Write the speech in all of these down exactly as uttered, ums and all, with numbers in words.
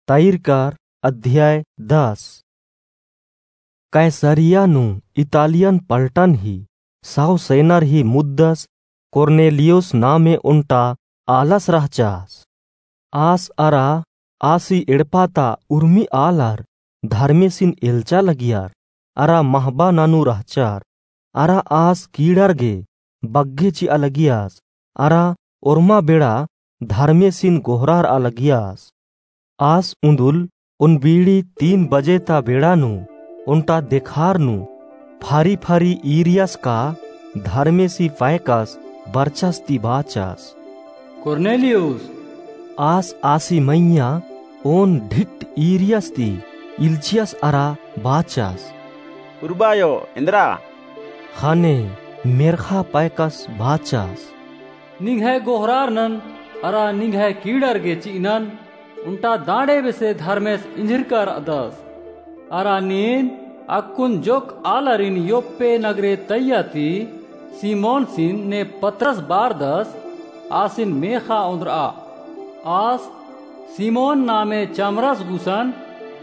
तैरकार अध्याय दस। कैसरिया नू इतालियन पलटन ही सौ सेनर ही मुद्दस कोर्नेलियुस नामे ओन्टा आलस रहचस। आस अरा आसी एड़पा ता उर्मी आलर धर्मेसिन एल्चा लगियर, अरा महबा ननू रहचर, अरा आस कीड़र गे बग्गे चिआ लगियस, अरा ओर्मा बेड़ा धर्मेसिन गोहरारआ लगियस। आस उन्दुल ओन बीड़ी तीन बजे ता बेड़ा नू ओन्टा देखार नू फारी फारी ईरियस का धर्मेसी पैकस बरचस ती बाचस, कोर्नेलियुस। आस आसी मइय्याँ ओन ढिट ईरियस ती इल्चियस अरा बाचस, उर्बायो, एन्दरा? ख़ने मेर्ख़ा पैकस बाचस, निंग्है गोहरारनन अरा निंग्है कीड़र गे चिअनन, ओन्टा दांड़े बेसे धर्मेस इंझिरका रअदस। अरा नीन अक्कुन जोक्क आलारिन योप्पे नगरे तइय्या ती सिमोनसिन ने पतरस बारदस, आसिन मेख़ा ओन्द्रआ। आस सिमोन नामे चमरस गुसन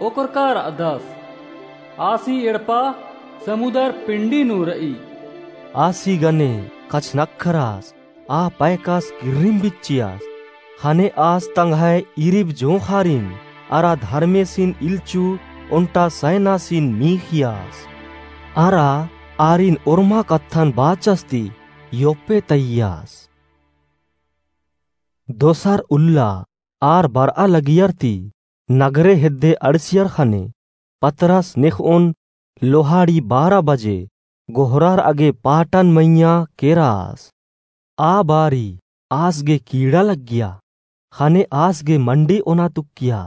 ओकरका रअदस। आसी एड़पा समुदर पिंडी नू रई। आसी गने कछनखरस आ पैकस किर्रिम बिच्चियस, ख़ने आस तंग्है इरिब जोंख़ारिन अरा धर्मेसिन इल्चु ओन्टा सैनासिन मीख़ियस। अरा आरिन ओर्मा कत्थन बाचस ती योप्पे तइयस। दोसर उल्ला आर बरआ लगियर ती नगरे हेद्दे अंड़सियर ख़ने पतरस नेख़ओन लोहाड़ी बारा बजे गोहरारआ गे पाटन मइय्याँ केरस। आ बारी आस गे कीड़ा लग्गिया, ख़ने आस गे मंडी ओना तुक्किया।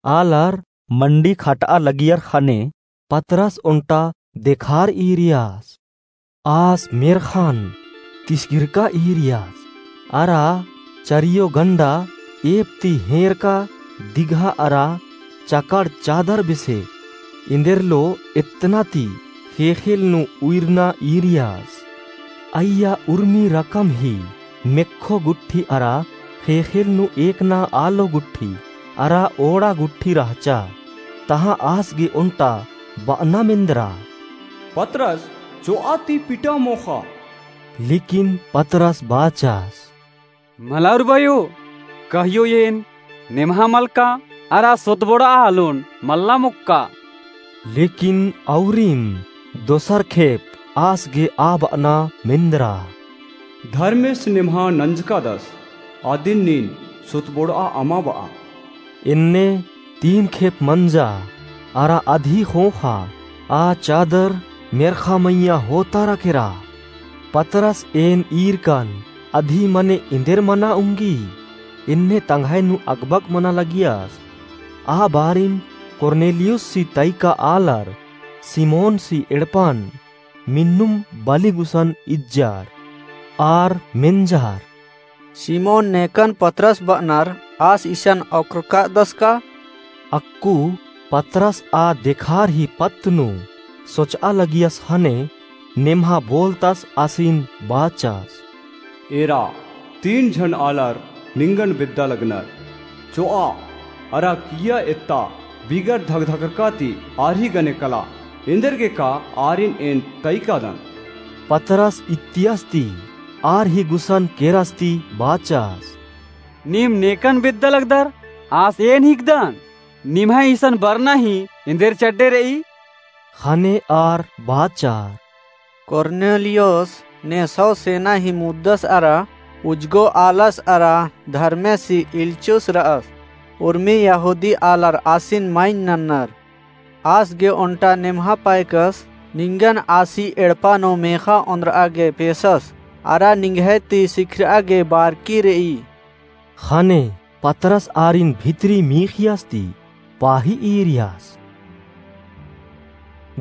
आलर मंडी खटआ लगियर ख़ने पतरस ओन्टा देखार ईरियस। आस मेर्ख़न तिसगिरका ईरियस, अरा चरियो गंडा एप ती हेंरका दिगहा अरा चकड़ चादर बेसे एन्देरलो एतना ती ख़ेख़ेल नू उइरना ईरियस। अइय्या उर्मी रकम ही मेक्खो गुट्ठी अरा ख़ेख़ेल नू एकना आलो गुट्ठी अरा ओड़ा गुट्ठी रहचा। तहाँ आस गे ओन्टा बअना मेन्दरा, पतरस चोआ ती पिटा मोख़ा। लेकिन पतरस बाचस, मला उर्बायो, कहियो एन नेम्हा मलका अरा सोतबोड़आ आलोन मल्ला मोक्का। लेकिन औरिम दोसर खेप आस गे आ बअना मेन्दरा, धर्मेस नेम्हा नंजकादस, अदिन नीन सोतबोड़आ अमा बआ। एन्ने तीन खेप मंजा अरा अधी ख़ोख़ा आ चादर मेर्ख़ा मइय्याँ होतारा केरा। पतरस एन ईरकन अधी मने एन्देर मना उंगी, एन्ने तंग्है नू अगबग मना लगियस। आ बारिन कोर्नेलियुससी तइका आलर सिमोनसी एड़पन मिन्नुम बली गुसन इज्जर। आर मेंजर, सिमोन नेकन पतरस बअनर आस इसन ओक्करकादस का? अक्कु पतरस आ देखार ही पत्त नू सोचआ लगियस ख़ने नेम्हा बोलतस आसिन बाचस, एरा तीन झन आलर निंगन बेद्दा लगनर। चोआ अरा किइय्या एत्ता बिगर धकधकरका ती आर ही गने कला, एन्देरगे का आरिन एन तइकादन। पतरस इत्तियस ती आर ही गुसन केरस ती बाचस, नीम नेकन बेद्दा लगदर, आस एन हिकदन, निम्है इसन बरना ही एन्देर चड्डे रई? ख़ने आर बाचर, कोर्नेलियुस ने सौ सेना ही मुद्दस अरा उज्जगो आलस अरा धर्मेसी इल्चुस रअस। उर्मी यहूदी आलर आसिन माइन नन्नर। आस गे ओन्टा नेम्हा पायकस निंगन आसी एड़पा नू मेख़ा ओन्द्रआ गे पेसस, अरा निंग्है ती सिखरआ गे बारकी रई। ख़ने पतरस आरिन भितरी मीख़ियस ती पाही ईरियस।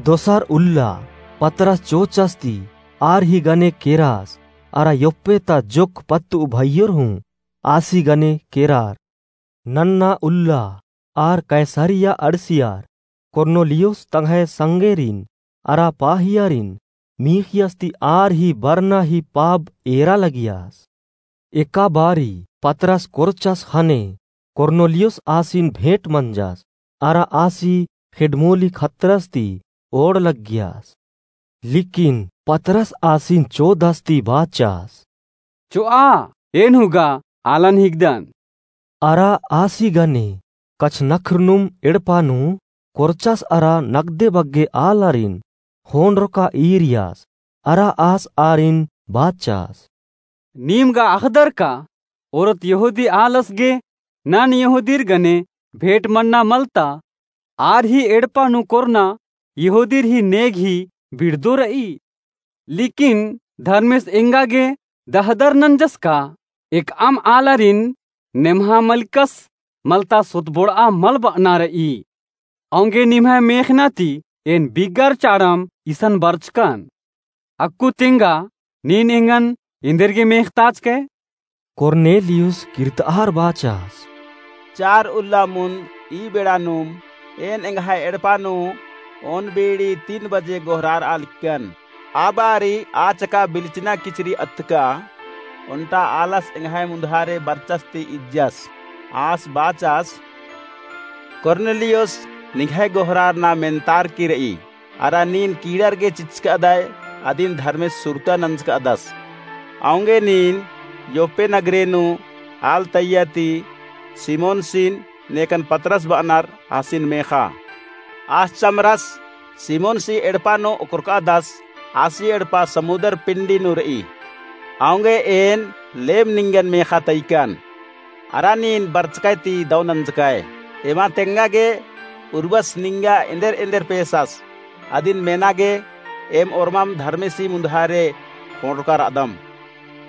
दोसर उल्ला पतरस चोचस ती आर ही गने केरस, अरा योप्पे ता जोक्क पत्तु भइयोर हूँ आसी गने केरर। नन्ना उल्ला आर कैसरिया अंड़सियर। कोर्नेलियुस तंग्है संगेरिन अरा पाहियारिन मीख़ियस ती आर ही बरना ही पाब एरा लगियस। एका बारी पतरस कोरचस ख़ने कोर्नेलियुस आसिन भेंट मंजस, अरा आसी खेड्डमोली खतरस ती ओड़ लग्गियस। लेकिन पतरस आसिन चोदस ती बाचस, चोआ, एन हूँ गा आलन हिकदन। अरा आसी गने कछनख्रनुम एड़पा नू कोरचस अरा नगदे बग्गे आलारिन ख़ोंड़रका ईरियस, अरा आस आरिन बाचस, नीम गा अख़दर का, ओरोत यहूदी आलस गे नन यहूदीर गने भेंट मन्ना मलता, आर ही एड़पा नू कोरना यहूदीर ही नेग ही बिड़दो रई। लेकिन धर्मेस एंगा गे दहदर नंजस का एकअम आलारिन नेम्हा मलिकस मलता सोतबोड़आ मल बअना रई। औंगे निम्है मेख़ना ती एन बिगर चाड़म इसन बरचकन। अक्कु तेंगा नीन एंगन एन्देरगे मेख़ताचकय? कोर्नेलियुस किर्तआर बाचस, चार उल्ला मुन्द ई बेड़ा नुम एन एंग्है एड़पा नू ओन बीड़ी तीन बजे गोहरारआ लिक्कन। आ बारी आ चका बिलचना किचरी अत्तका ओन्टा आलस एंग्है मुन्धारे बरचस ती इज्जस। आस बाचस, कोर्नेलियुस निंग्है गोहरारना मेन्तारकी रई। अरा नीन कीड़ार गे चिच्चकादय अदिन धर्मेस सुरता नंजकादस। औंगे नीन योप्पे नगरे नू आल तैया ती सिमोनसिन नेकन पतरस बअनर आसिन मेख़ा। आस चमरस सिमोनसी एड़पा नू ओकरकादस। आसी एड़पा समुदर पिंडी नू रई। औंगे एन लेम निंगन मेख़ा तैकन। अरा नीन बरचकय ती दौ नंजकय। एमा तेंगा गे उर्बस निंगा एन्देर एन्देर पेसस। अदिन मेना गे एम ओर्मम धर्मेसी मुन्धारे ख़ोंड़रका रअदम।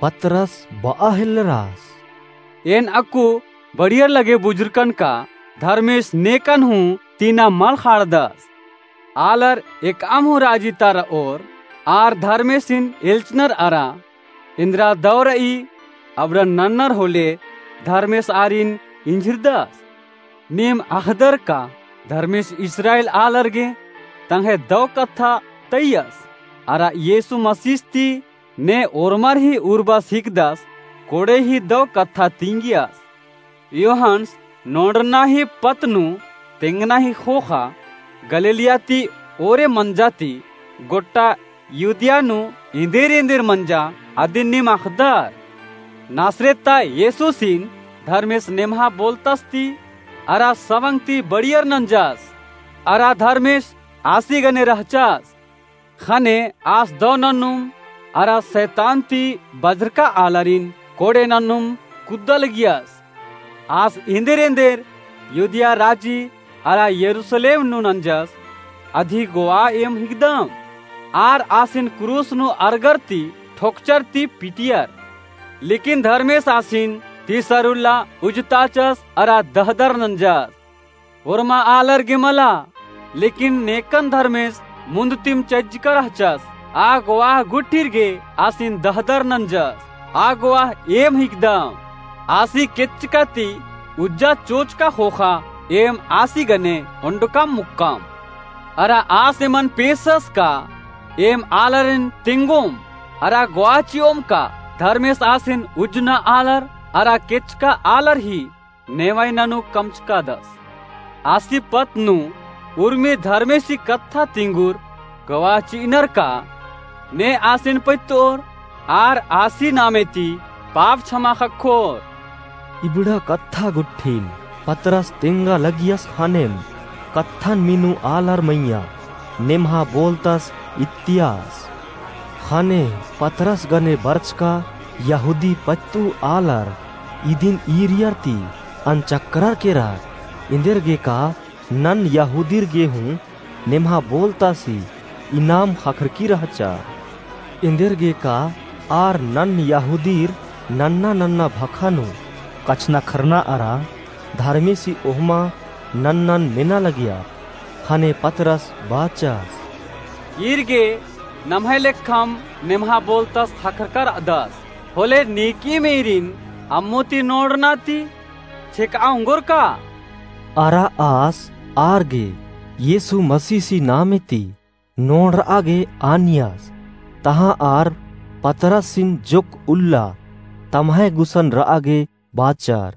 पतरस बआ हेल्लरस, एन अक्कु बढ़ियर लगे बुझुरकन का धर्मेस नेकन हूँ तीना मल ख़ाड़दस। आलर एकअम हूँ राजी ता रओर, आर धर्मेसिन एल्चनर अरा एन्देरा दौ रई अबड़न नन्नर होले धर्मेस आरिन इंझिरदस। नीम अख़दर का धर्मेस इस्राएल आलर गे तंग्है दौ कत्था तैयस, अरा यीसु मसीस ती ने ओर्मर ही उर्बस हिकदस कोड़े ही दौ कत्था तिंगियस। यूहन्स नोड़रना ही पत्त नू तेंगना ही ख़ोख़ा गलीलिया ती ओरे मंजा ती गोट्टा यहूदिया नू एन्देर एन्देर मंजा अदिन नीम अख़दर। नासरेत ता यीसुसिन धर्मेस नेम्हा बोलतस ती अरा सवंग ती बढ़ियर नंजस। अरा धर्मेस आसी गने रहचस। ख़ने आस दौ नन्नुम अरा सैतान ती बझरका आलारिन कोड़े नन्नुम कुद्दा लगियस। आस एन्देर एन्देर यहूदिया राजी अरा यरूसलेम नू नंजस अदी गोवा एम हिकदम। आर आसिन क्रूस नू अरगर ती ठोकचर ती पिटियर। लेकिन धर्मेस आसिन तीसर उल्ला उजताचस अरा दहदर नंजस। ओर्मा आलर गे मला, लेकिन नेकन धर्मेस मुन्द तिम चज्जका रहचस। आ गोवाह गुट्ठिर गे आसिन दहदर नंजस। आ गोवाह एम हिकदम। आसी केच्चका ती उज्जा चोचका ख़ोख़ा एम आसी गने ओंडकम मुक्कम। अरा आस एमन पेसस का एम आलारिन तेंगोम। अरा गोवाह चिओम का धर्मेस आसिन उज्जना आलर अरा केच्चका आलर ही नेवाई ननू कमचकादस। आसी पत्त नू उर्मी धर्मेसी कत्था तिंगुर गवाह चिअनर का ने आसिन पइत्तोर आर आसी नामे ती पाप छमा ख़क्खोर। इबड़ा कत्था गुट्ठिन पतरस तेंगा लगियस ख़नेम कत्थन मीनू आलर मइय्याँ नेम्हा बोलतस इत्तियास। ख़ने पतरस गने बरचका यहूदी पत्तू आलर इदिन ईरियर ती अनचक्करर केरर, एन्देरगे का नन यहूदीर गे हूँ नेम्हा बोलतासी इनाम ख़क्खरकी रहचा। एन्देरगे का आर नन यहूदीर नन्ना नन्ना भखा नू कछनखरना अरा धर्मेसी ओहमा नन्नन मेना लगिया। ख़ने पतरस बाचस, ईर गे नम्है लेखम नेम्हा बोलतस ख़क्खरका रअदस, होले नीकिम ईरिन अम्मु ती नोड़ना ती छेकआ ओंगोर का? अरा आस आर गे यीसु मसीसी नामे ती नोड़रआ गे आनियस। तहाँ आर पतरसिन जोक्क उल्ला तम्है गुसन रआ गे बाचर।